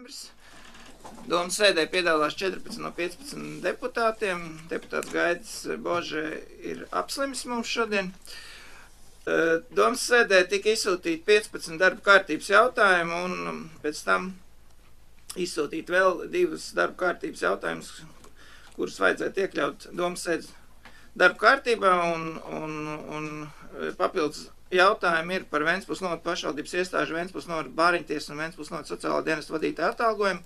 novembris. Domas sēdē piedalās 14 no 15 deputātiem. Deputāts Gaidis Božē ir apslimis mums šodien. Domas sēdē tika izsūtīti 15 darba kārtības jautājumu un pēc tam izsūtīt vēl 2 darba kārtības jautājumus, kurus vajadzētu iekļaut Domas sēdes darba kārtībā un papildus jautājumi ir par Ventspils novada pašvaldības iestāžu, Ventspils novada bāriņtiesas un Ventspils novada sociālā dienesta vadītāja atalgojumu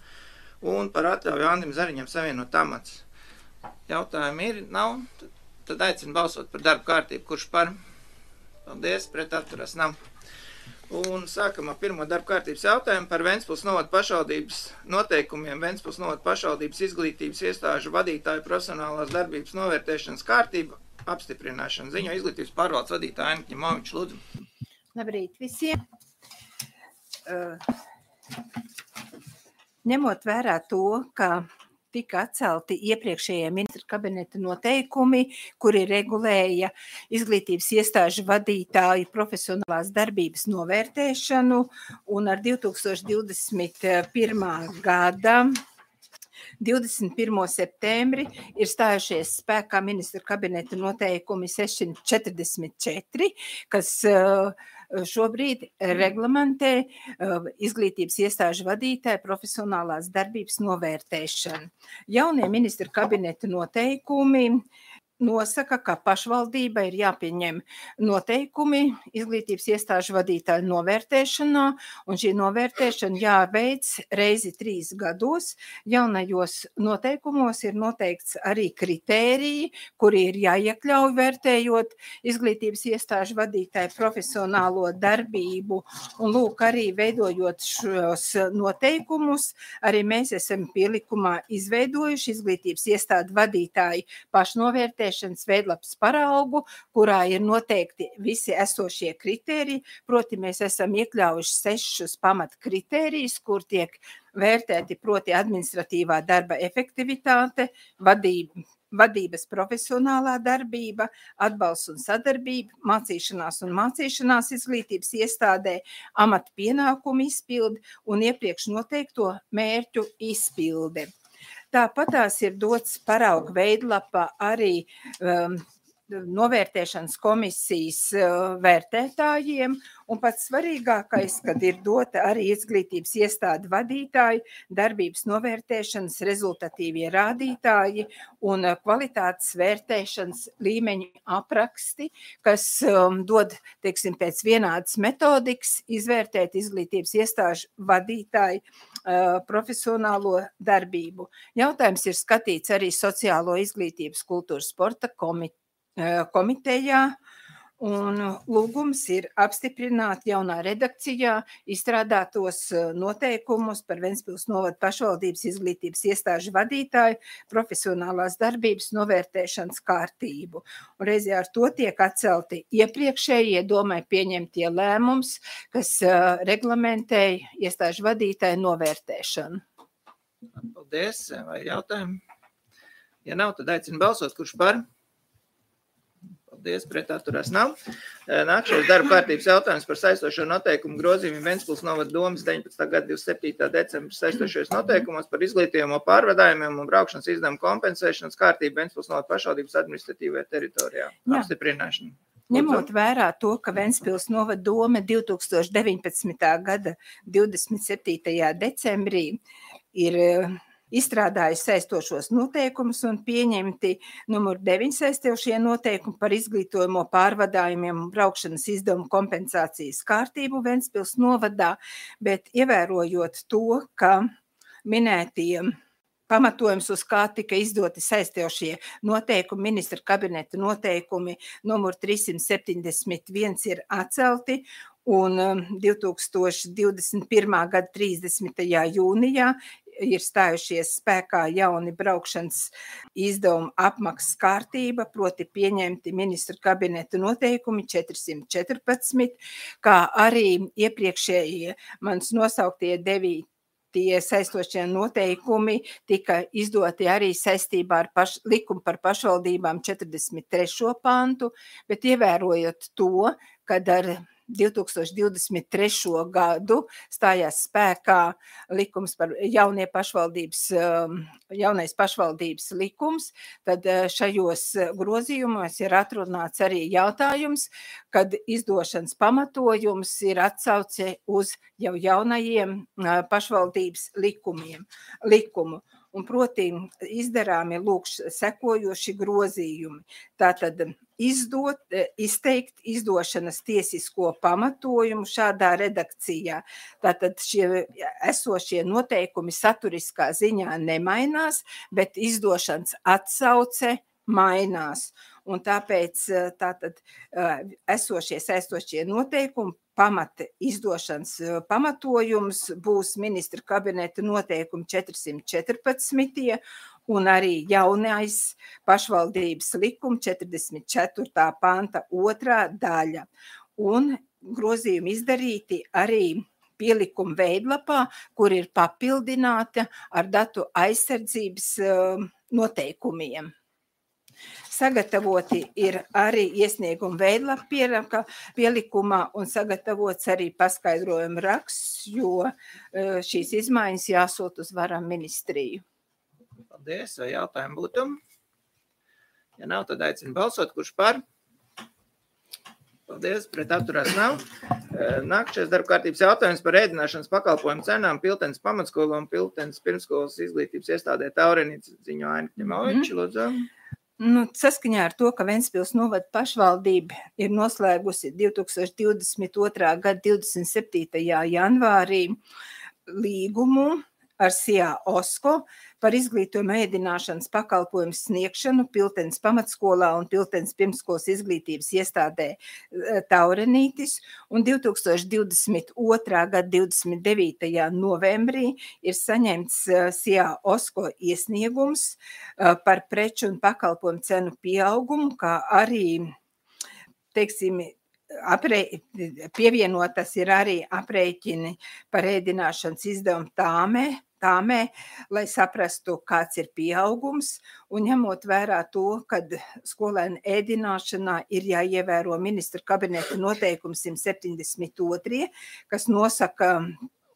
un par atļauju Andim Zariņam savienot amats. Jautājumi ir, nav, tad aicinu balsot par darba kārtību, kurš par. Paldies, pret atturas nav. Un sākam ar pirmo darba kārtības jautājumu par Ventspils novada pašvaldības noteikumiem, Ventspils novada pašvaldības izglītības iestāžu vadītāju profesionālās darbības novērtēšanas kārtību apstiprināšanu. Ziņo izglītības pārvaldes vadītāja Aina Ņimoviča, lūdzu. Labrīt visiem. Ņemot vērā to, ka tika atcelti iepriekšējie ministra kabineta noteikumi, kuri regulēja izglītības iestāžu vadītāju profesionālās darbības novērtēšanu, un ar 2021. gada 21. septembri ir stājušies spēkā ministra kabineta noteikumi 644, kas šobrīd reglamentē izglītības iestāžu vadītāju profesionālās darbības novērtēšanu. Jaunie ministra kabineta noteikumi nosaka, ka pašvaldība ir jāpieņem noteikumi izglītības iestāžu vadītāju novērtēšanā, un šī novērtēšana jāveic reizi 3 gados. Jaunajos noteikumos ir noteikts arī kritēriji, kuri ir jāiekļauj vērtējot izglītības iestāžu vadītāju profesionālo darbību, un lūk, arī veidojot šos noteikumus, arī mēs esam pielikumā izveidojuši izglītības iestādu vadītāju pašnovērtēšanu veidlapas paraugu, kurā ir noteikti visi esošie kritēriji, proti mēs esam iekļaujuši 6 pamat kritērijus, kur tiek vērtēti proti administratīvā darba efektivitāte, vadības profesionālā darbība, atbalsts un sadarbība, mācīšanās izglītības iestādē, amata pienākumu izpildi un iepriekš noteikto mērķu izpildi. Tāpat tās ir dots parauga veidlapa arī novērtēšanas komisijas vērtētājiem, un pats svarīgākais, kad ir dota arī izglītības iestādu vadītāji, darbības novērtēšanas rezultatīvie rādītāji un kvalitātes vērtēšanas līmeņu apraksti, kas dod, teiksim, pēc vienādas metodikas izvērtēt izglītības iestāžu vadītāju profesionālo darbību. Jautājums ir skatīts arī Sociālo izglītības kultūras sporta komitejā, un lūgums ir apstiprināt jaunā redakcijā izstrādātos noteikumus par Ventspils novada pašvaldības izglītības iestāžu vadītāju profesionālās darbības novērtēšanas kārtību. Un reizē ar to tiek atcelti iepriekšējie domai pieņemtie lēmums, kas reglamentēja iestāžu vadītāju novērtēšanu. Paldies, vai jautājumi? Ja nav, tad aicinu balsot, kurš par? Paldies, pret atturās nav. Nākšais darba kārtības jautājums par saistošo noteikumu grozījumu Ventspils novada domas 19. gada 27. decembra saistošajos noteikumos par izglītījamo pārvadājumiem un braukšanas izdevumu kompensēšanas kārtību Ventspils novada pašvaldības administratīvajā teritorijā. Apstiprināšana. Ņemot vērā to, ka Ventspils novada doma 2019. gada 27. decembrī ir izstrādājusi saistošos noteikumus un pieņemti numur 9 saistošie noteikumi par izglītojamo pārvadājumiem un braukšanas izdevumu kompensācijas kārtību Ventspils novadā, bet ievērojot to, ka minētie pamatojums, uz kā tika izdoti saistošie noteikumi, ministra kabineta noteikumi numur 371 ir atcelti, un 2021. gada 30. jūnijā ir stājušies spēkā jauni braukšanas izdevumu apmaksas kārtība, proti pieņemti ministra kabineta noteikumi 414, kā arī iepriekšējie manis nosauktie 9 saistošie noteikumi tika izdoti arī saistībā ar likumu par pašvaldībām 43. pantu, bet ievērojot to, kad ar 2023. gadu stājās spēkā likums par jaunais pašvaldības likums, tad šajos grozījumos ir atrunāts arī jautājums, kad izdošanas pamatojums ir atsauce uz jau jaunajiem pašvaldības likumu. Un proti izdarāmi sekojoši grozījumi. Tātad izteikt izdošanas tiesisko pamatojumu šādā redakcijā. Tātad šie esošie noteikumi saturiskā ziņā nemainās, bet izdošanas atsauce mainās. Un tāpēc tātad esošie saistošie noteikumi pamata izdošanas pamatojums būs ministra kabineta noteikumi 414. un arī jaunais pašvaldības likuma 44. panta 2. daļa. Un grozījumi izdarīti arī pielikuma veidlapā, kur ir papildināta ar datu aizsardzības noteikumiem. Sagatavoti ir arī iesnieguma veidlapa pielikumā un sagatavots arī paskaidrojuma raksts, jo šīs izmaiņas jāsūt uz varam ministriju. Paldies, vai jautājumi būtu? Ja nav, tad aicinu balsot, kurš par? Paldies, pret atturās nav. Nākamais darba kārtības jautājums par ēdināšanas pakalpojumu cenām Piltenes pamatskolu un Piltenes pirmskolas izglītības iestādē Taurenītes ziņo Aina Kņemoviča, lūdzu. Saskaņā ar to, ka Ventspils novada pašvaldība ir noslēgusi 2022. gada 27. janvārī līgumu ar SIA OSKO par izglītojuma ēdināšanas pakalpojumu sniegšanu Piltenes pamatskolā un Piltenes pirmskolas izglītības iestādē Taurenītis, un 2022. gada 29. novembrī ir saņemts SIA OSKO iesniegums par preču un pakalpojumu cenu pieaugumu, kā arī, teiksim, pievienotas ir arī aprēķini par ēdināšanas izdevumu tāmē, lai saprastu, kāds ir pieaugums, un ņemot vērā to, kad skolēnu ēdināšanā ir jāievēro ministra kabineta noteikums 172, kas nosaka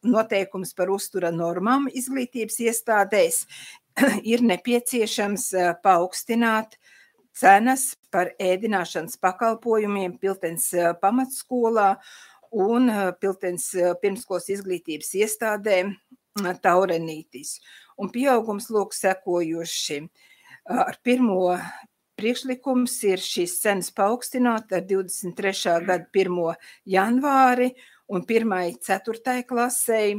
noteikums par uztura normām izglītības iestādēs, ir nepieciešams paaugstināt cenas par ēdināšanas pakalpojumiem Piltenes pamatskolā un Piltenes pirmskolas izglītības iestādē Taurenītis. Un pieaugums lūk sekojoši. Ar pirmo priekšlikums ir šīs cenas paaugstināt ar 23. gada 1. janvāri un 1.4. klasei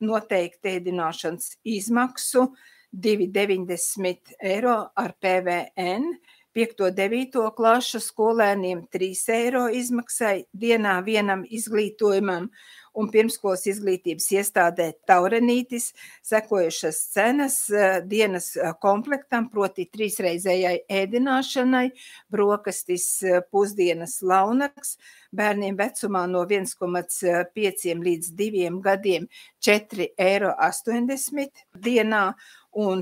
noteikti ēdināšanas izmaksu 2,90 eiro ar PVN, 5.9. klašu skolēniem 3 eiro izmaksai dienā vienam izglītojumam un pirmskolas izglītības iestādē Taurenītis sekojušas cenas dienas komplektam, proti 3-reizējai ēdināšanai, brokastis, pusdienas launaks, bērniem vecumā no 1,5 līdz 2 gadiem 4,80 eiro dienā, un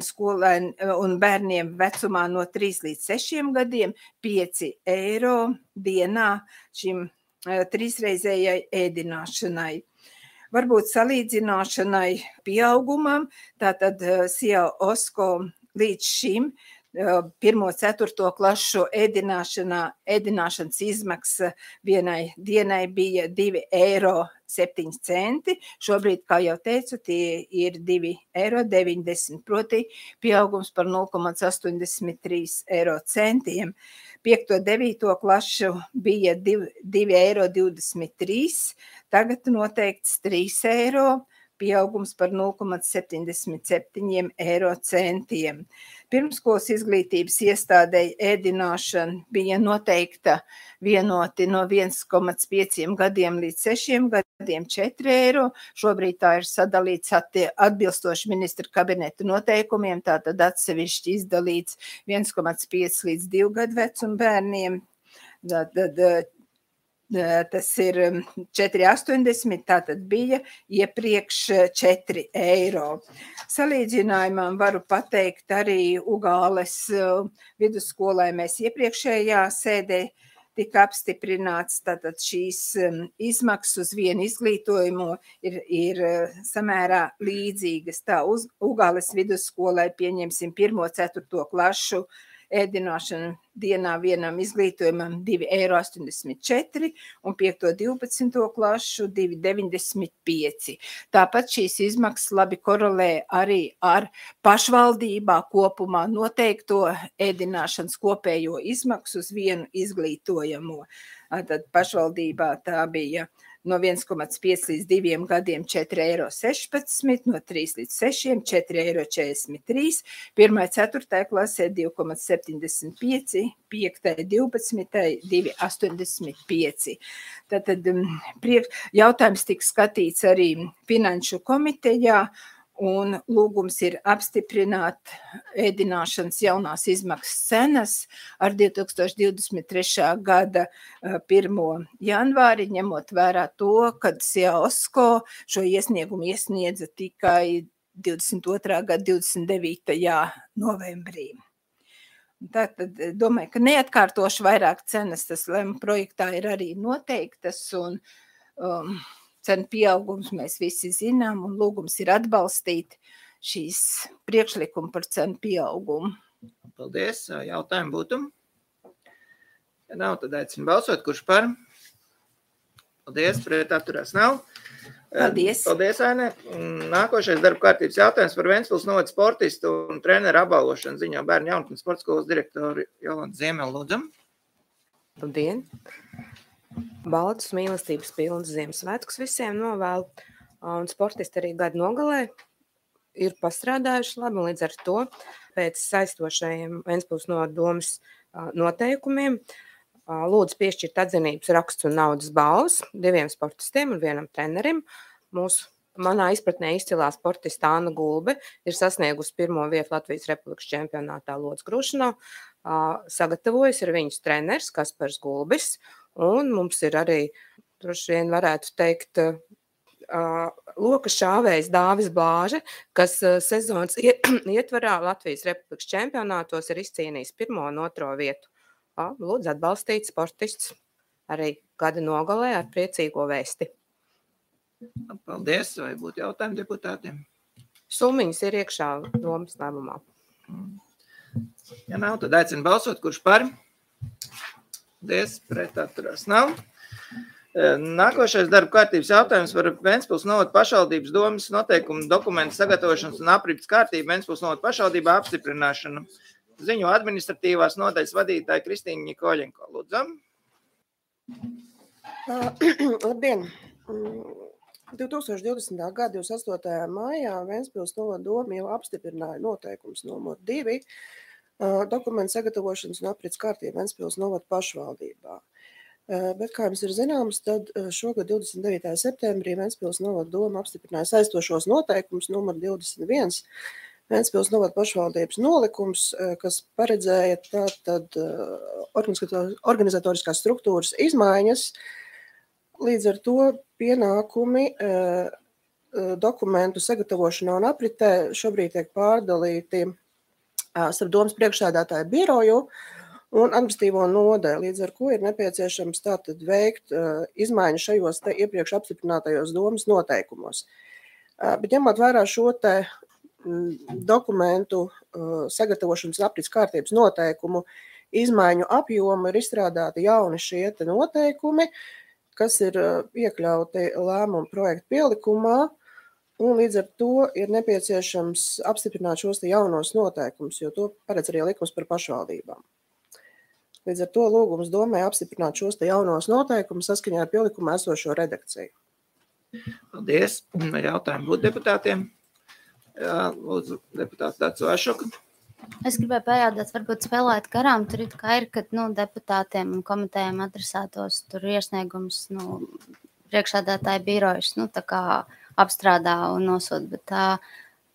bērniem vecumā no 3 līdz 6 gadiem 5 eiro dienā šim 3-reizējai ēdināšanai. Varbūt salīdzināšanai pieaugumam, tātad SIA OSKO līdz šim 1.4. klašu ēdināšanas izmaksa vienai dienai bija 2,07 eiro. Šobrīd, kā jau teicu, tie ir 2,90 eiro, proti pieaugums par 0,83 eiro centiem. 5.9. klašu bija 2,23 eiro, tagad noteikts 3 eiro, pieaugums par 0,77 eiro centiem. Pirmskolas izglītības iestādei ēdināšana bija noteikta vienoti no 1,5 gadiem līdz 6 gadiem 4 eiro. Šobrīd tā ir sadalīts atbilstoši ministra kabineta noteikumiem, tātad atsevišķi izdalīts 1,5 līdz 2 gadu vecuma bērniem. Tas ir 4,80, tātad bija iepriekš 4 eiro. Salīdzinājumam varu pateikt arī Ugāles vidusskolai mēs iepriekšējā sēdē tika apstiprināts, tātad šīs izmaksas uz vienu izglītojumu ir samērā līdzīgas. Tā Ugāles vidusskolai pieņemsim 1.4. klašu ēdināšanu dienā vienam izglītojumam 2,84 un 5.12. klašu 2,95. Tāpat šīs izmaksas labi korelē arī ar pašvaldībā kopumā noteikto ēdināšanas kopējo izmaksu uz vienu izglītojamo. Tad pašvaldībā tā bija no 1,5 līdz 2 gadiem 4,16 €, no 3 līdz 6 4,43 €, 1.4. klasē 2,75, 5.12. 2,85. Tātad jautājums tika skatīts arī Finanšu komitejā, un lūgums ir apstiprināt ēdināšanas jaunās izmaksas cenas ar 2023. gada 1. janvāri, ņemot vērā to, kad SIAOSKO šo iesniegumu iesniedza tikai 22. gada 29. novembrī. Tātad domāju, ka neatkārtošu vairāk cenas, tas lēmuma projektā ir arī noteiktas, un cenu pieaugums mēs visi zinām, un lūgums ir atbalstīt šīs priekšlikumu par cenu pieaugumu. Paldies. Jautājumu būtu? Ja nav, tad aicinu balsot. Kurš par? Paldies. Pret atturās nav. Paldies. Paldies, Aine. Nākošais darba kārtības jautājums par Ventspils novada sportistu un treneru apbalvošanu ziņā bērnu jaunatnes sporta skolas direktoru Jolantu Ziemeli, lūdzam. Labdien! Baltus mīlestības pilns Ziemassvētkus visiem novēlu, un sportisti arī gadu nogalē ir pastrādājuši labi, un līdz ar to pēc saistošajiem Ventspils novada domes noteikumiem lūdzu piešķirt atzinības raksts un naudas balvas 2 sportistiem un 1 trenerim. Manā izpratnē izcilā sportista Anna Gulbe ir sasniegusi 1. vietu Latvijas Republikas čempionātā lodes grūšanā, sagatavojas ir viņas treneris Kaspars Gulbis, un mums ir arī, droši vien varētu teikt, loka šāvējs Dāvis Blāže, kas sezonas ietvarā Latvijas Republikas čempionātos ir izcīnījis 1. un 2. vietu. Lūdzu atbalstīt sportists arī gada nogalē ar priecīgo vēsti. Paldies. Vai būtu jautājumi deputātiem? Summiņas ir iekšā domas lēmumā. Ja nav, tad aicinu balsot. Kurš par? Paldies. Pret atturās nav. Nākošais darba kārtības jautājums par Ventspils novada pašvaldības domas noteikumu dokumentu sagatavošanas un aprits kārtību Ventspils novada pašvaldībā apstiprināšanu. Ziņo administratīvās nodaļas vadītāja Kristīna Ņikoļenko. Lūdzam. Labdien! 2020. gada 28. maijā Ventspils novada doma jau apstiprināja noteikums numur 2 dokumentu sagatavošanas un aprits kārtību Ventspils novada pašvaldībā. Bet, kā jums ir zināms, tad šogad 29. septembrī Ventspils novada doma apstiprināja saistošos noteikumus numur 21 Ventspils novada pašvaldības nolikums, kas paredzēja tātad organizatoriskās struktūras izmaiņas. Līdz ar to pienākumi dokumentu sagatavošanā un apritē šobrīd tiek pārdalīti starp domas priekšsēdētāju biroju un administratīvo nodaļu, līdz ar ko ir nepieciešams tātad veikt izmaiņas šajos te iepriekš apstiprinātajos domas noteikumos. Bet ņemot vērā šo te dokumentu sagatavošanas aprits kārtības noteikumu izmaiņu apjomu, ir izstrādāti jauni šie te noteikumi, kas ir iekļauti lēmumu projektu pielikumā, un līdz ar to ir nepieciešams apstiprināt šos te jaunos noteikumus, jo to paredz arī likums par pašvaldībām. Līdz ar to lūgums domē apstiprināt šos te jaunos noteikumus saskaņā ar pielikumā esošo redakciju. Paldies. Jautājumu būtu deputātiem. Jā, lūdzu, deputāts Dacu Ašoka. Es gribēju pajautāt, varbūt spēlēt garām, tur ir, ka deputātiem un komitējiem adresētos tur iesniegums, priekšsēdētāja birojas, tā kā apstrādā un nosūta, bet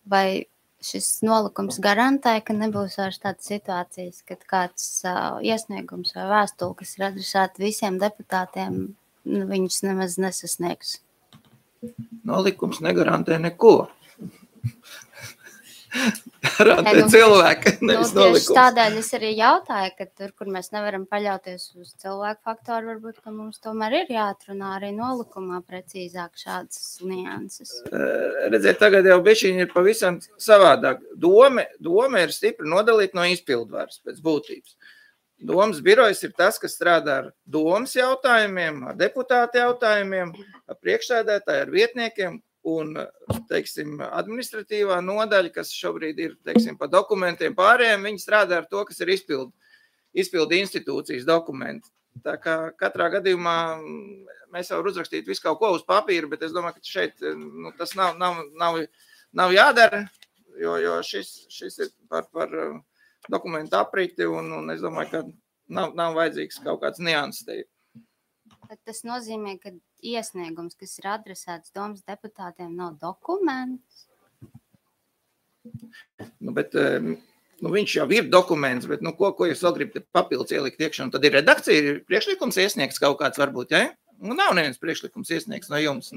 vai šis nolikums garantē, ka nebūs vairs tādas situācijas, kad kāds iesniegums vai vēstule, kas ir adresēta visiem deputātiem, viņus nemaz nesasniegs? Nolikums negarantē neko. Parāda cilvēki, nevis tieši nolikums. tādēļ es arī jautāju, ka tur, kur mēs nevaram paļauties uz cilvēku faktoru, varbūt, ka mums tomēr ir jāatrunā arī nolikumā precīzāk šādas nianses. Redziet, tagad jau bišķiņi ir pavisam savādāk. Doma ir stipri nodalīta no izpildvaras pēc būtības. Domas birojas ir tas, kas strādā ar domas jautājumiem, ar deputātu jautājumiem, ar priekšsēdētāju, ar vietniekiem. Un, teiksim, administratīvā nodaļa, kas šobrīd ir, teiksim, pa dokumentiem pārējiem, viņi strādā ar to, kas ir izpildi institūcijas dokumenti. Tā kā katrā gadījumā mēs jau uzrakstītu visu kaut ko uz papīra, bet es domāju, ka šeit tas nav jādara, jo šis ir par dokumentu apriti, un es domāju, ka nav vajadzīgs kaut kāds nianses te. Tas nozīmē, ka iesniegums, kas ir adresēts domas deputātiem, nav dokuments? Bet viņš jau ir dokuments, bet ko jūs vēl gribat papildus ielikt iekšā? Un tad ir redakcija, ir priekšlikums iesniegts kaut kāds varbūt, ja? Nav neviens priekšlikums iesniegts no jums,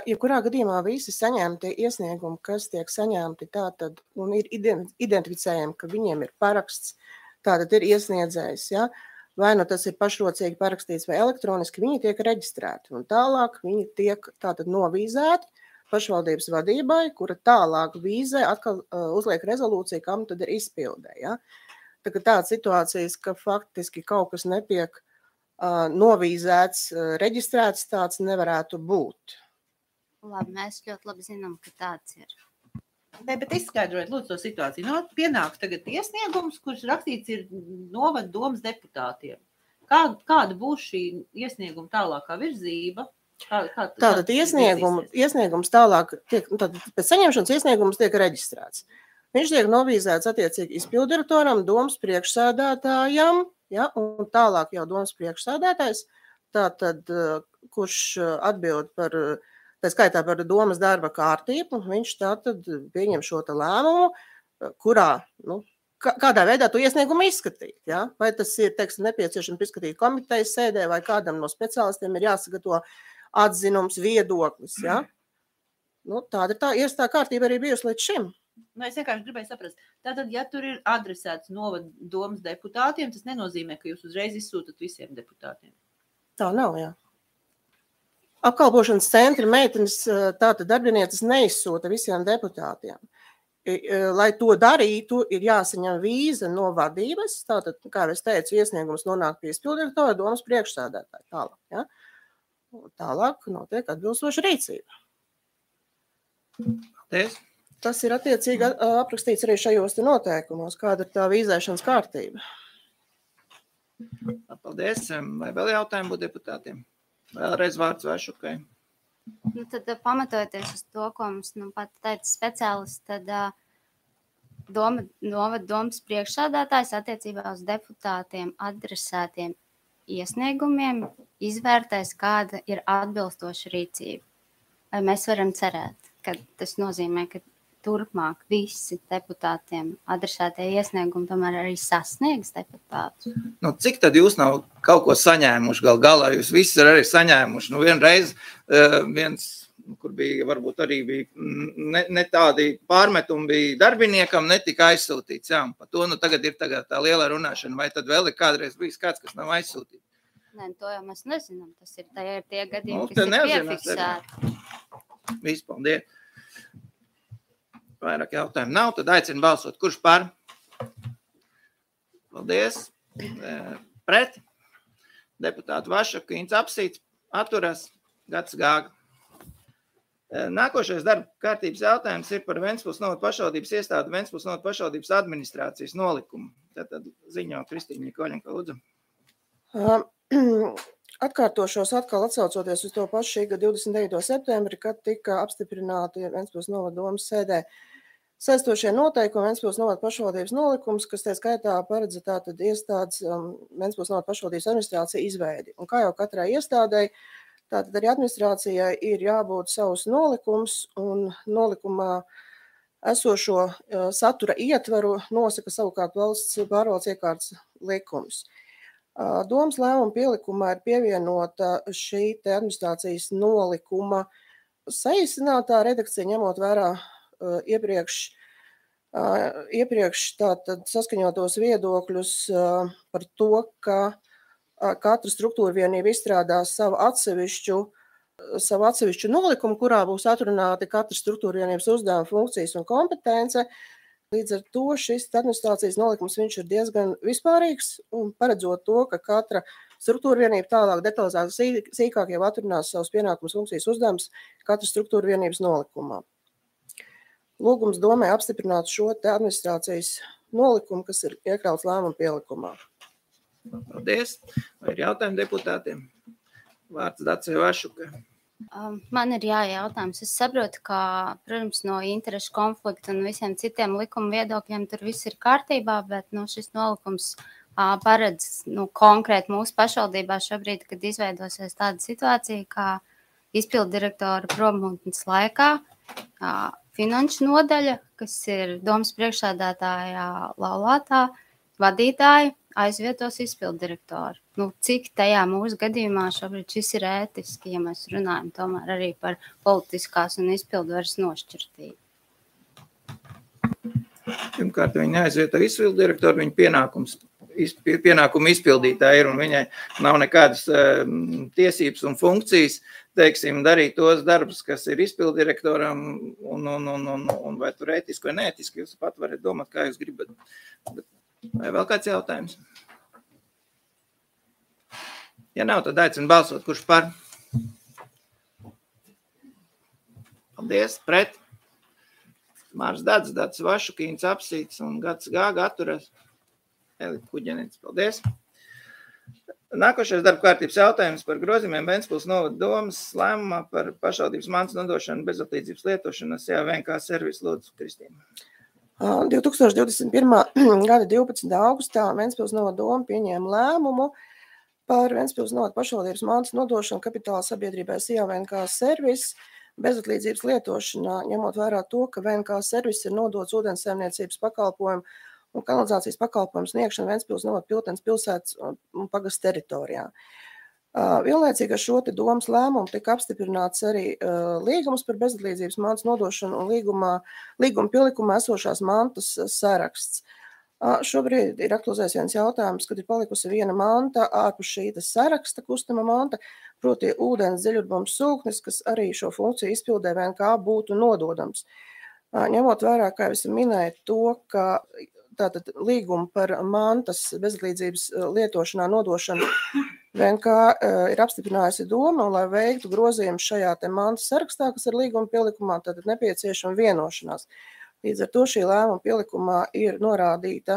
Jebkurā gadījumā visi saņemti iesniegumi, kas tiek saņemti tātad, un ir identificējami, ka viņiem ir paraksts, tātad ir iesniedzējs, ja? Vai nu tas ir pašrocīgi parakstīts vai elektroniski, viņi tiek reģistrēti. Un tālāk viņi tiek tātad novīzēti pašvaldības vadībai, kura tālāk vīzē atkal uzliek rezolūciju, kam tad ir izpildē. Ja? Tādas situācijas, ka faktiski kaut kas netiek novīzēts, reģistrēts, tāds nevarētu būt. Labi, mēs ļoti labi zinām, ka tāds ir. Ne, bet izskaidrojiet, lūdzu, to situāciju. Pienāks tagad iesniegums, kurš rakstīts ir novada domas deputātiem. Kāda būs šī iesnieguma tālākā virzība? Tātad iesniegums tālāk, pēc saņemšanas iesniegums tiek reģistrēts. Viņš tiek novīzēts attiecīgi izpildirektoram, domas priekšsēdētājam, ja, un tālāk jau domas priekšsēdētājs, tātad, kurš atbild par... Tā skaitā par domas darba kārtību, viņš tātad pieņem šo lēmumu, kurā, kādā veidā to iesniegumu izskatīt. Ja? Vai tas ir, teiksim, nepieciešams izskatīt komitejas sēdē, vai kādam no speciālistiem ir jāsagatavo atzinums, viedoklis. Ja? Tāda ir tā kārtība arī bijusi līdz šim. Es vienkārši gribēju saprast. Tātad, ja tur ir adresēts novada domas deputātiem, tas nenozīmē, ka jūs uzreiz izsūtat visiem deputātiem. Tā nav, jā. Apkalpošanas centri meitenes, tātad darbinieces neizsūta visiem deputātiem. Lai to darītu, ir jāsaņem vīza no vadības, tātad, kā es teicu, iesniegums nonāk pie izpildirektora, domas priekšsēdētāja tālāk. Ja? Tālāk notiek atbilstoša rīcība. Tas ir attiecīgi aprakstīts arī šajos noteikumos, kāda ir tā vīzēšanas kārtība. Paldies. Vai vēl jautājumi būtu deputātiem? Vēlreiz vārds Vašukai. Tad pamatojoties uz to, ko mums pat teica speciālists, tad domas priekšsēdētājs attiecībā uz deputātiem adresētiem iesniegumiem izvērtēs, kāda ir atbilstoša rīcība. Vai mēs varam cerēt, ka tas nozīmē, ka turpmāk visi deputātiem adresētie iesniegumi tomēr arī sasniegs deputātus? Cik tad jūs nav kaut ko saņēmuši galā? Jūs visi arī saņēmuši. Vienreiz viens, kur bija, varbūt arī bija ne tādi pārmetumi bija darbiniekam, netika aizsūtīts. Jā, par to tagad ir tā liela runāšana. Vai tad vēl ir kādreiz bijis kāds, kas nav aizsūtīts? Nē, to jau mēs nezinām. Tas ir tie gadījumi, kas ir piefiksēti. Viss, paldies. Vairāk jautājumu nav, tad aicinu balsot. Kurš par? Paldies. Pret? Deputāti Vašaka, Ints Apsīts, atturas, Gats Gāga. Nākošais darba kārtības jautājums ir par Ventspils novada pašvaldības iestādi Ventspils novada pašvaldības administrācijas nolikumu. Tad ziņo Kristīna Koļenka, lūdzu. Atkārtošos atkal atsaucoties uz to pašu šī gada 29. septembri, kad tika apstiprināti Ventspils novada domas sēdē saistošie noteikumi Ventspils novada pašvaldības nolikums, kas tā skaitā paredz tātad iestādes Ventspils novada pašvaldības administrācija izveidi. Un kā jau katrai iestādei, tātad arī administrācijai ir jābūt savs nolikums, un nolikumā esošo satura ietvaru nosaka savukārt valsts pārvaldes iekārtas likums. Domas lēmuma pielikumā ir pievienota šī administrācijas nolikuma saīsinātā redakcija, ņemot vērā iepriekš tātad saskaņotos viedokļus par to, ka katra struktūra vienība izstrādās savu atsevišķu nolikumu, kurā būs atrunāti katras struktūra vienības uzdevuma, funkcijas un kompetence. Līdz ar to šis administrācijas nolikums viņš ir diezgan vispārīgs un paredzot to, ka katra struktūra vienība tālāk detalizēti sīkāk jau atrunās savus pienākumus, funkcijas uzdevumus katras struktūra vienības nolikumā. Lūgums domē apstiprināt šo te administrācijas nolikumu, kas ir iekļauts lēmuma pielikumā. Paldies. Vai ir jautājumi deputātiem? Vārds Dacei Vašukai. Man ir jautājums. Es saprotu, ka, protams, no interešu konflikta un visiem citiem likuma viedokļiem tur viss ir kārtībā, bet šis nolikums paredz konkrēti mūsu pašvaldībā šobrīd, kad izveidosies tāda situācija, kā izpildu direktora prombūtnes laikā finanšu nodaļa, kas ir domas priekšsēdētāja laulātā vadītāja, aizvietos izpildu direktoru. Cik tajā mūsu gadījumā šobrīd šis ir ētiski, ja mēs runājam tomēr arī par politiskās un izpildvaras nošķirtību? Pirmkārt, viņa neaizvieto izpildu direktoru, viņa pienākumu izpildītāja ir, un viņai nav nekādas tiesības un funkcijas, teiksim, darīt tos darbus, kas ir izpildu direktoram, un vai tur ētiski vai neētiski, jūs pat varat domāt, kā jūs gribat. Vai vēl kāds jautājums? Ja nav, tad aicinu balsot, kurš par? Paldies, pret. Mārs Dats Vašukīns apsīts un Gats Gāga atturas. Elita Kuģenīts, paldies. Nākošais darba kārtības jautājums par grozījumiem Ventspils novada domas lēmumā par pašvaldības mantas nodošanu bezatlīdzības lietošanas VNK servisu. Lūdzu, Kristīna. 2021. gada 12. augustā Ventspils novada doma pieņēma lēmumu par Ventspils novada pašvaldības mantas nodošanu kapitāla sabiedrībai VNK servis bezatlīdzības lietošanā, ņemot vērā to, ka VNK servis ir nodots ūdenssaimniecības pakalpojumu un kanalizācijas pakalpojumu sniegšanu Ventspils novada Piltenes pilsētas un pagasta teritorijā. Vienlaicīgi ar šo te domas lēmumu tika apstiprināts arī līgums par bezatlīdzības mantas nodošanu un līguma pielikumā esošās mantas saraksts. Šobrīd ir aktualizēts viens jautājums, kad ir palikusi viena manta ārpus šī saraksta kustama manta, proti ūdens dziļurbums sūknis, kas arī šo funkciju izpildē VNK būtu nododams. Ņemot vērā, kā jau es minēju, to, ka tātad līguma par mantas bezatlīdzības lietošanā nodošanu VNK ir apstiprinājusi doma, un lai veiktu grozījumus šajā te mantas sarakstā, kas ir līguma pielikumā, tad ir nepieciešama vienošanās. Līdz ar to šī lēmuma pielikumā ir norādīta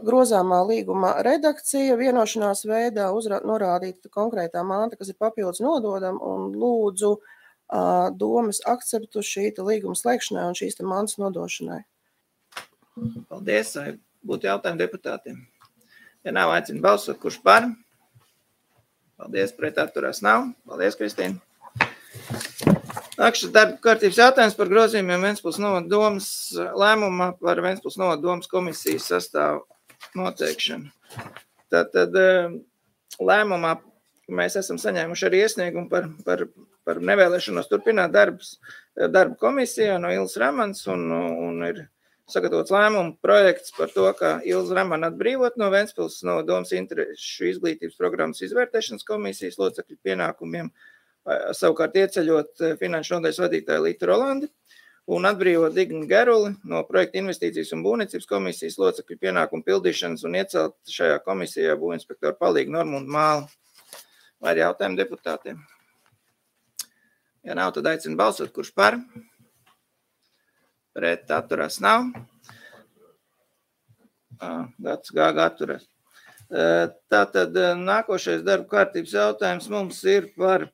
grozāmā līguma redakcija, vienošanās veidā norādīta konkrētā manta, kas ir papildus nododama, un lūdzu domas akceptu šī līguma slēgšanai un šīs mantas nodošanai. Paldies, vai būtu jautājumi deputātiem? Ja nav, aicinu balsot, kurš par? Paldies, pret atturās nav. Paldies, Kristīna. Nākamais darba kārtības jautājums par grozījumiem Ventspils novada domas lēmumā par Ventspils novada domas komisijas sastāvu noteikšanu. Tātad lēmumā mēs esam saņēmuši arī iesniegumu par nevēlēšanos turpināt darbu komisijā no Ilzas Ramans un ir sagatavots lēmumu projekts par to, ka Ilza Ramana atbrīvot no Ventspils novada domas interešu izglītības programmas izvērtēšanas komisijas locekļu pienākumiem, savukārt ieceļot finanšu nodaļas vadītāju Lītu Rolandi un atbrīvot Dignu Geruli no projekta investīcijas un būvniecības komisijas locekļu pienākumu pildīšanas un iecelt šajā komisijā būvinspektoru palīgu Normundu Māli. Vai ir jautājumi deputātiem? Ja nav, tad aicinu balsot, kurš par? Pret atturās nav. Gats Gāga atturās. Tātad nākošais darba kārtības jautājums mums ir par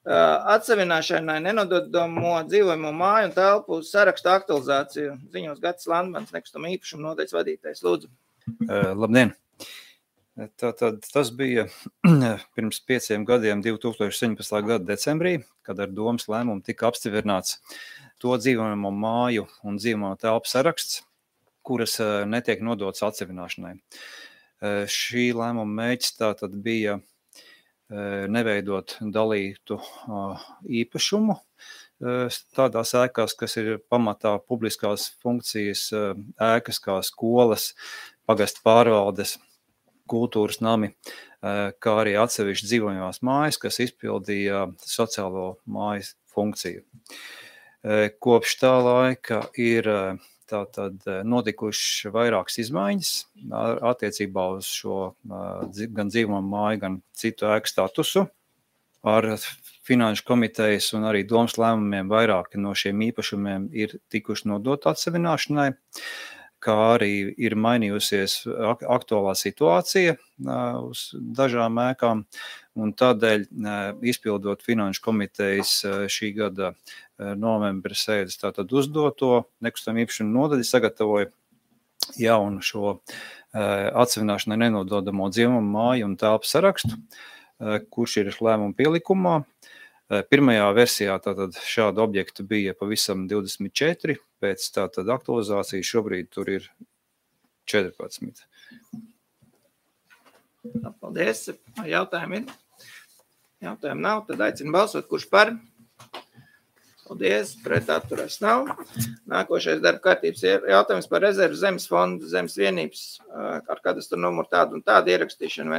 atsevināšanai nenododamo dzīvojamo māju un telpu sarakstu aktualizāciju. Ziņos Gatis Landmans, nekustamo īpašumu nodaļas vadītājs. Lūdzu. Labdien! Tātad tas bija pirms 5 gadiem, 2017. gada decembrī, kad ar domas lēmumu tika apstiprināts to dzīvojamo māju un dzīvojamo telpu saraksts, kuras netiek nodotas atsevināšanai. Šī lēmuma mērķis tātad bija neveidot dalītu īpašumu, tādās ēkās, kas ir pamatā publiskās funkcijas ēkas kā skolas, pagastu pārvaldes, kultūras nami, kā arī atsevišķi dzīvojamās mājas, kas izpildīja sociālo mājas funkciju. Kopš tā laika ir tātad notikuši vairākas izmaiņas attiecībā uz šo gan dzīvojamo māju, gan citu ēku statusu. Ar Finanšu komitejas un arī domas lēmumiem vairāki no šiem īpašumiem ir tikuši nodot atsevināšanai, kā arī ir mainījusies aktuālā situācija uz dažām ēkām, un tādēļ, izpildot Finanšu komitejas šī gada novembra sēdes tātad uzdoto nekustamā īpašuma nodaļa sagatavoja jaunu šo atsevināšanai nenododamo dzīvojamo māju un telpu sarakstu, kurš ir lēmuma pielikumā. Pirmajā versijā tātad šādu objektu bija pavisam 24, pēc tātad aktualizācijas šobrīd tur ir 14. Paldies. Jautājumi ir? Jautājumi nav, tad aicinu balsot, kurš par? Paldies, pret atturas nav. Nākošais darba kārtības jautājums par rezervu zemes fondu, zemes vienības ar kadastru numuru tādu un tādu ierakstīšanu uz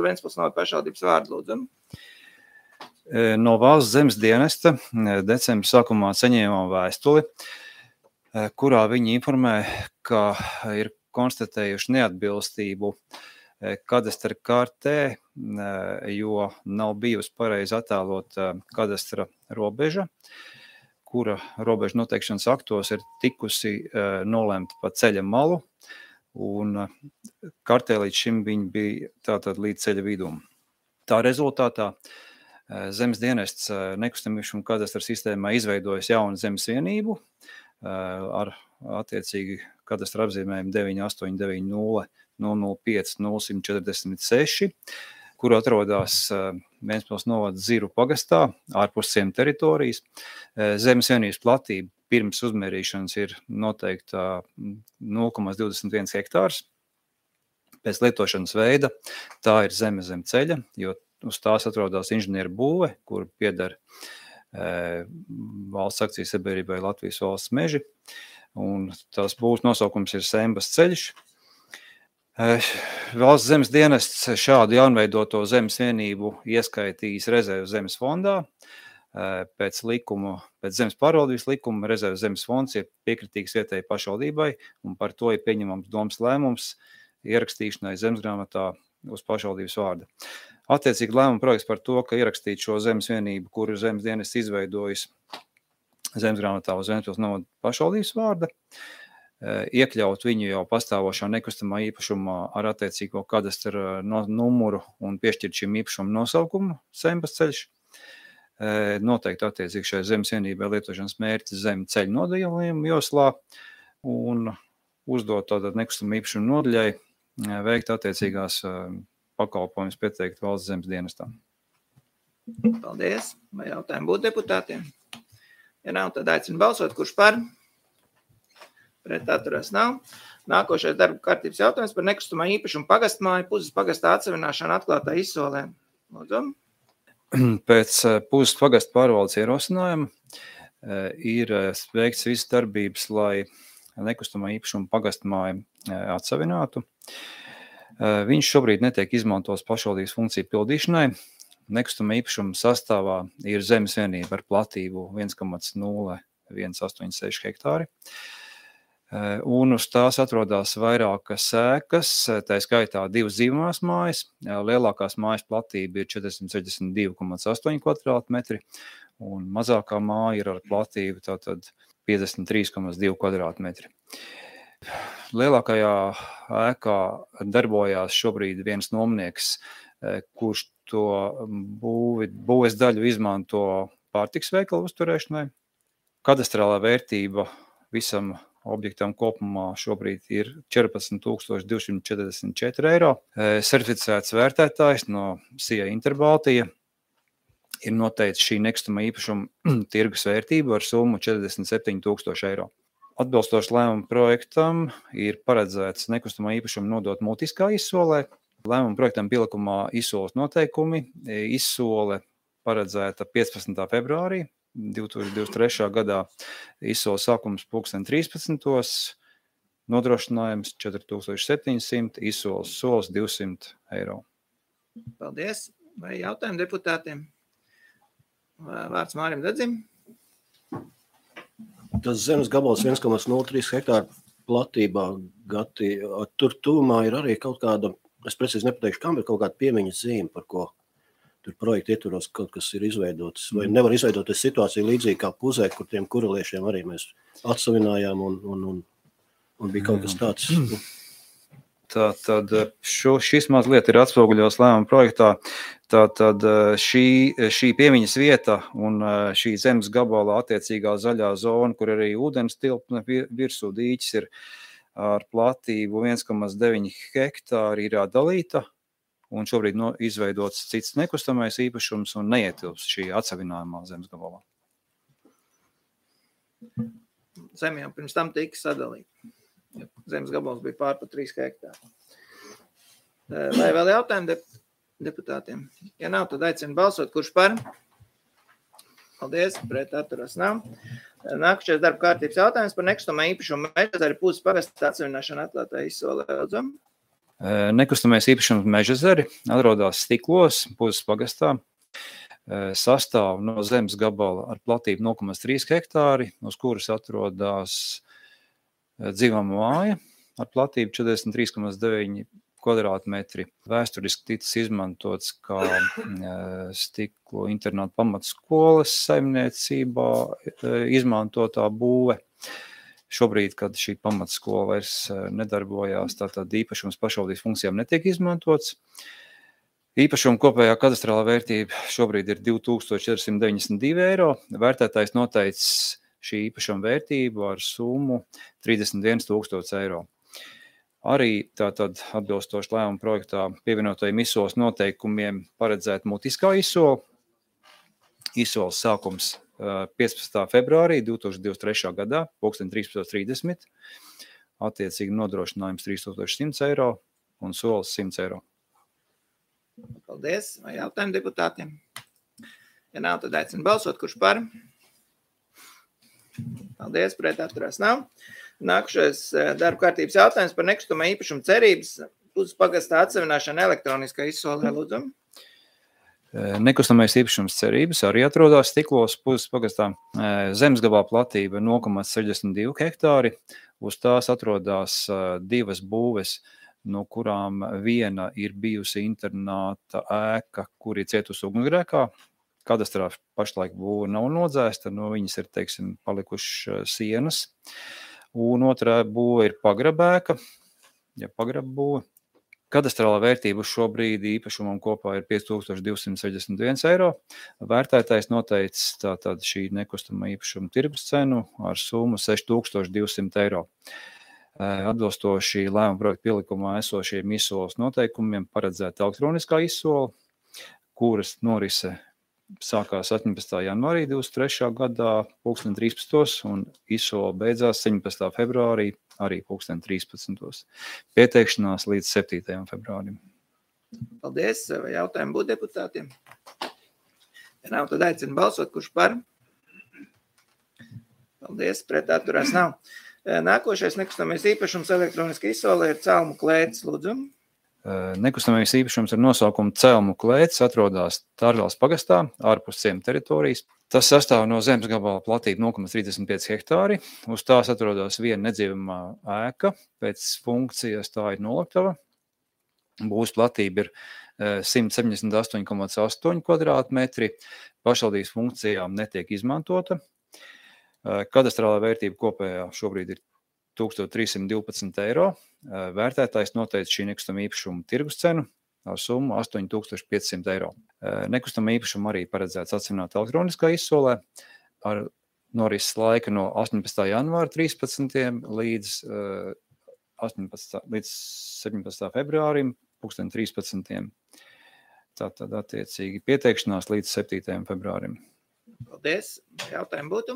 Ventspils novada pašvaldības vārdu, lūdzam. No Valsts zemes dienesta decembra sākumā saņēmām vēstuli, kurā viņi informē, ka ir konstatējuši neatbilstību kadastra kartē, jo nav bijusi pareizi attēlot kadastra robeža, kura robeža noteikšanas aktos ir tikusi nolemta pa ceļa malu, un kartē līdz šim viņi bija tātad līdz ceļa vidum. Tā rezultātā zemes dienests nekustamā īpašuma kadastra sistēmā izveidojas jaunu zemes vienību ar attiecīgi kadastra apzīmējumu 9890 005 0146, kur atrodas Ventspils novada Ziru pagastā, ārpus ciem teritorijas. Zemes vienības platība pirms uzmērīšanas ir noteikta 0,21 hektārs. Pēc lietošanas veida tā ir zeme zem ceļa, jo uz tās atrodas inženieru būve, kur pieder valsts akcijas sabiedrībai Latvijas valsts meži, un tās būvs nosaukums ir Sembas ceļš. Valsts zemes dienests šādu jaunveidoto zemes vienību ieskaitījis rezervu zemes fondā. Pēc zemes pārvaldības likuma rezervu zemes fonds ir piekritīgs vietējai pašvaldībai, un par to ir pieņemams domas lēmums ierakstīšanai zemesgrāmatā uz pašvaldības vārda. Attiecīgi lēmuma projekts par to, ka ierakstīt šo zemes vienību, kuru zemes dienests izveidojis zemesgrāmatā uz Ventspils novada pašvaldības vārda, iekļaut viņu jau pastāvošā nekustamā īpašumā ar attiecīgo kadastra numuru un piešķirt šim īpašumu nosaukumu Sembas ceļš. Noteikti attiecīgi šai zemes vienībai lietošanas mērķis zemi ceļu nodalījumu joslā un uzdot tātad nekustamā īpašuma nodaļai veikt attiecīgās pakalpojumus pieteikt valsts zemes dienestām. Paldies. Vai jautājumi būtu deputātiem? Ja nav, tad aicinu balsot, kurš par? Pret atturās nav. Nākošais darba kārtības jautājums par nekustamā īpašumu pagastmāju Puzes pagastā atsevināšanu atklātā izsolē. Lūdzu. Pēc Puzes pagasta pārvaldes ierosinājuma ir veikts visas darbības, lai nekustamā īpašuma pagastmāju atsevinātu. Viņš šobrīd netiek izmantots pašvaldības funkciju pildīšanai. Nekustamā īpašuma sastāvā ir zemes vienība ar platību 1,0186 hektāri. Un uz tās atrodas vairākas ēkas, tā skaitā 2 dzīvojamās mājas. Lielākās mājas platība ir 462,8 kvadrātmetri, un mazākā māja ir ar platību tātad 53,2 kvadrātmetri. Lielākajā ēkā darbojās šobrīd viens nomnieks, kurš to būves daļu izmanto pārtiks veikalu uzturēšanai. Kadastrālā vērtība visam objektam kopumā šobrīd ir 14 244 eiro. Certificēts vērtētājs no SIA Interbaltija ir noteicis šī nekustamā īpašuma tirgus vērtību ar summu 47 000 eiro. Atbilstoši lēmuma projektam ir paredzēts nekustamā īpašuma nodot mutiskā izsolē. Lēmuma projektam pielikumā izsoles noteikumi. Izsole paredzēta 15. februārī 2023. gadā izsola sākums 13. Nodrošinājums 4700, izsoles solis 200 eiro. Paldies. Vai jautājumi deputātiem? Vārds Mārim Dedzim. Tas zemes gabals 1,03 hektāru platībā, Gati, tur tūmā ir arī kaut kāda, es precīzi nepateikšu, kam ir kaut kāda piemiņas zīme, par ko tur projekta ietvaros kaut kas ir izveidots. Vai nevar izveidoties situācija līdzīgi kā Puzē, kur tiem kureliešiem arī mēs atsavinājām un bija kaut kas tāds. Tātad šis mazliet ir atspoguļos lēmuma projektā. Tātad šī piemiņas vieta un šī zemes gabala attiecīgā zaļā zona, kur arī ūdens tilpne virsū dīķis ir ar platību 1,9 hektāri ir dalīta un šobrīd izveidots cits nekustamais īpašums un neietilps šī atsavinājumā zemes gabalā. Zem jau pirms tam tika sadalīta. Zemes gabals bija pār pa 3 hektāri. Vai vēl jautājumi deputātiem? Ja nav, tad aicinu balsot, kurš par? Paldies, pret atturas nav. Nākušais darba kārtības jautājums par nekustamā īpašumu Mežazari Puzes pagasta atsevišķināšanu atklātā izsolē. Lūdzam. Nekustamais īpašums Mežazari atrodas Stiklos, Puzes pagastā. Sastāv no zemes gabala ar platību 0,3 hektāri, uz kuras atrodas dzīvama māja ar platību 43,9 kvadrātmetri. Vēsturiski ticis izmantots kā Stiklo internāta pamatskolas saimniecībā izmantotā būve. Šobrīd, kad šī pamatskola vairs nedarbojās, tātad īpašums pašvaldības funkcijām netiek izmantots. Īpašuma kopējā kadastrālā vērtība šobrīd ir 2492 eiro. Vērtētājs noteicis šī īpašuma vērtību ar summu 31 000 eiro. Arī tātad atbilstoši lēmuma projektā pievienotajiem izsoles noteikumiem paredzēt mutiskā izsola. Izsoles sākums 15. februārī 2023. gadā, 13:30. Attiecīgi nodrošinājums 3100 eiro un solis 100 eiro. Paldies. Vai jautājumi deputātiem? Ja nav, tad aicinu balsot, kurš par? Paldies, pret atturās nav. Nākušais darba kārtības jautājums par nekustamā īpašuma cerības Puzes pagastā atsevināšanu elektroniskā izsolē. Lūdzam. Nekustamais īpašums cerības arī atrodas Stiklos, Puzes pagastā. Zemes gabala platība 0,62 hektāri. Uz tās atrodas divas būves, no kurām viena ir bijusi internāta ēka, kur ir cietusi ugunsgrēkā. Kadastrā pašlaik būve nav nodzēsta, no viņas ir, teiksim, palikušas sienas. Un otrā būve ir pagrabēka, pagrabbūve. Kadastrālā vērtība uz šo brīdi īpašumam kopā ir 5261 eiro. Vērtētājs noteicis tātad šī nekustamā īpašuma tirgus cenu ar summu 6200 eiro. Atbilstoši lēmuma projekta pielikumā esošiem izsoles noteikumiem paredzēta elektroniskā izsola, kuras norise sākās 18. janvārī 23. gadā 13. un izsola beidzās 17. februārī arī 13. Pieteikšanās līdz 7. februārim. Paldies. Vai jautājumi būtu deputātiem? Ja nav, tad aicinu balsot, kurš par? Paldies, pret atturās nav. Nākošais nekustamais īpašums elektroniski izsolē ir Celmu klētis. Lūdzam. Nekustamais īpašums ar nosaukumu Celmu klētis atrodas Tārgales pagastā, ārpus ciema teritorijas. Tas sastāv no zemes gabala platība 0,35 hektāri. Uz tās atrodas viena nedzīvamā ēka, pēc funkcijas tā ir noliktava. Būvs platība ir 178,8 kvadrātmetri. Pašvaldības funkcijām netiek izmantota. Kadastrālā vērtība kopējā šobrīd ir 1312 eiro. Vērtētājs noteica šī nekustamā īpašuma tirgus cenu ar summu 8500 eiro. Nekustamā īpašuma arī paredzēts atsevināt elektroniskā izsolē ar norises laika no 18. janvāra 13. līdz 17. februārim 13. Tātad attiecīgi pieteikšanās līdz 7. februārim. Paldies. Jautājumi būtu?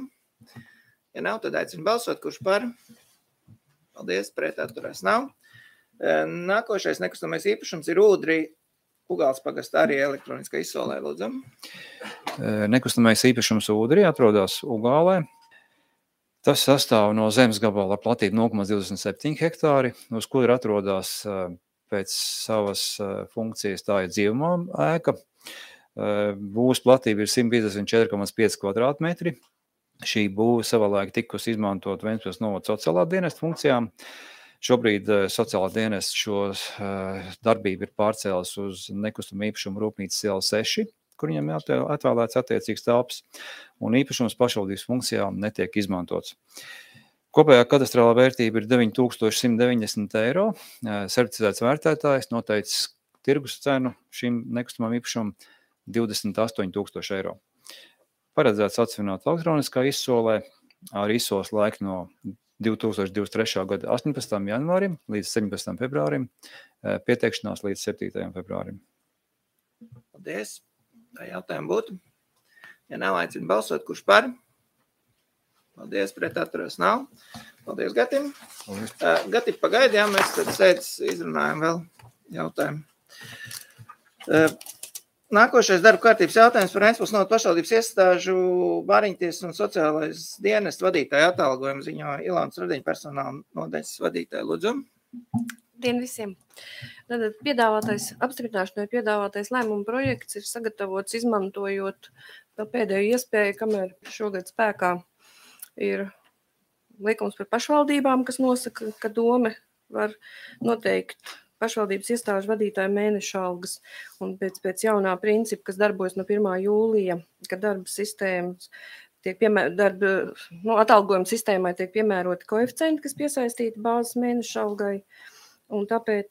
Ja nav, tad aicinu balsot, kurš par? Paldies, pret atturās nav. Nākošais nekustamais īpašums ir Ūdri Ugāls pagastā arī elektroniskā izsolē. Lūdzam. Nekustamais īpašums Ūdrī atrodas Ugālē. Tas sastāv no zemes gabala ar platību 0,27 hektāri, uz kura atrodas pēc savas funkcijas tā ir dzīvumā ēka. Būvs platība ir 154,5 kvadrātmetri. Šī būva savulaik tikusi izmantot Ventspils novada sociālā dienesta funkcijām. Šobrīd sociālā dienesta šo darbību ir pārcēlis uz nekustamo īpašumu Rūpnīcas iela 6, kur viņam atvēlēts attiecīgs telpas, un īpašums pašvaldības funkcijām netiek izmantots. Kopējā kadastrālā vērtība ir 9190 eiro. Certificēts vērtētājs noteicis tirgus cenu šim nekustamam īpašumam 28,000 eiro. Paredzēts atsvināt elektroniskā izsolē ar izsoles laiku no 2023. gada 18. janvārim līdz 17. februārim, pieteikšanās līdz 7. februārim. Paldies. Tā jautājumi būtu. Ja nav, aicinu balsot, kurš par? Paldies, pret atturas nav. Paldies, Gatim. Gati, pagaidi, jā, mēs tad sēdz izrunājam vēl jautājumu. Nākošais darba kārtības jautājums par Ventspils novada pašvaldības iestāžu Bāriņtiesas un sociālais dienestu vadītāju atalgojumu ziņo Ilānas Radiņa personāla nodaļas vadītāju. Lūdzu. Dien visiem. Tātad apstiprināšanai piedāvātais lēmuma projekts ir sagatavots izmantojot pēdējo iespēju, kamēr šogad spēkā ir likums par pašvaldībām, kas nosaka, ka dome var noteikt pašvaldības iestāžu vadītāju mēneša algas, un pēc jaunā principa, kas darbojas no 1. jūlija, ka darba sistēmas atalgojuma sistēmai tiek piemēroti koeficienti, kas piesaistīti bāzes mēneša algai, un tāpēc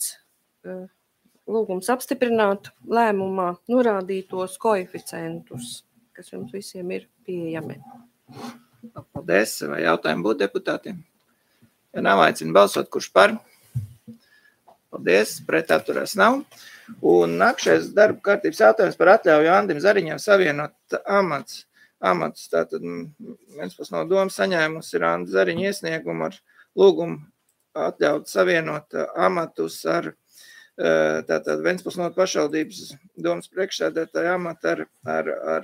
lūgums apstiprināt lēmumā norādītos koeficientus, kas jums visiem ir pieejami. Paldies. Vai jautājumi būtu deputātiem? Ja nav, aicinu balsot, kurš par? Paldies, pret atturās nav. Un nākšais darba kārtības jautājums par atļauju Andim Zariņam savienot amatus. Tātad Ventspils novada doma saņēmusi ir Anda Zariņa iesniegumu ar lūgumu atļaut savienot amatus ar tātad Ventspils novada pašvaldības domas priekšsēdētāju amatu ar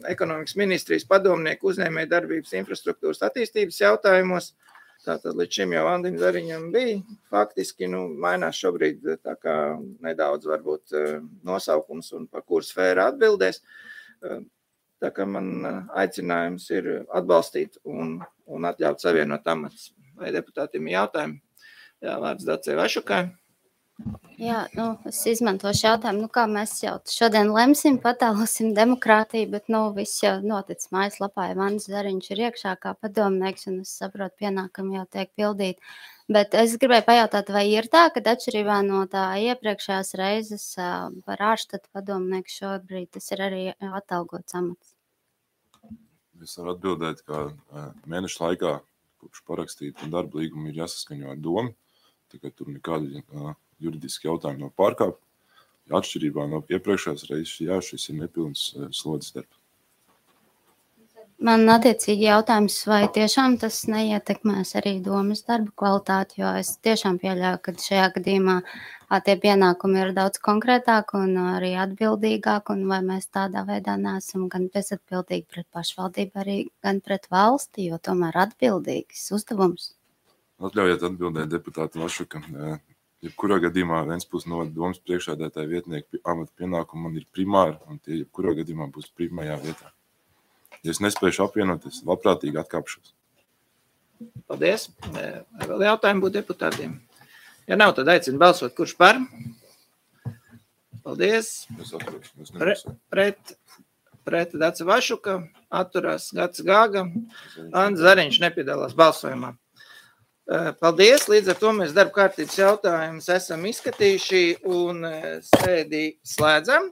ekonomikas ministrijas padomnieku uzņēmēju darbības infrastruktūras attīstības jautājumos. Tātad līdz šim jau Andim Zariņam bija faktiski, mainās šobrīd tā kā nedaudz varbūt nosaukums un par kuru sfēru atbildēs. Tā kā man aicinājums ir atbalstīt un atļaut savienot amatus. Vai deputātiem jautājumi? Jā, vārds Dacei Vašukai. Jā, es izmantošu jautājumu, kā mēs jau šodien lemsim, patēlosim demokrātiju, bet viss jau noticis mājaslapā, ja Andis Zariņš ir iekšā kā padomnieks, un es saprotu, pienākumi jau tiek pildīti. Bet es gribēju pajautāt, vai ir tā, ka atšķirībā no tā iepriekšējās reizes par ārštatu padomnieku šobrīd tas ir arī atalgots amats? Es varu atbildēt, ka mēneša laikā, kopš parakstīta darba līguma, ir jāsaskaņo ar domu, tā kā tur nekādi juridiski jautājumi nav pārkāpti. Atšķirībā no iepriekšējās reizes, šis ir nepilns slodzes darbs. Man attiecīgi jautājums, vai tiešām tas neietekmēs arī domas darba kvalitāti, jo es tiešām pieļauju, ka šajā gadījumā tie pienākumi ir daudz konkrētāk un arī atbildīgāk, un vai mēs tādā veidā neesam gan bezatbildīgi pret pašvaldību, arī gan pret valsti, jo tomēr atbildīgs uzdevums. Atļaujiet atbildēt deputāti Vašuka. Jebkurā gadījumā Ventspils novada domas priekšsēdētāja vietnieku amata pienākumi man ir primāri, un tie jebkurā gadījumā būs pirmajā vietā. Ja es nespēšu apvienot, es labprātīgi atkāpšos. Paldies. Vēl jautājumi būtu deputātiem? Ja nav, tad aicinu balsot, kurš par? Paldies. Es atveru. Pret Daca Vašuka, atturās Gats Gāga, Andis Zariņš nepiedalās balsojumā. Paldies, līdz ar to mēs darba kārtības jautājumus esam izskatījuši un sēdi slēdzam.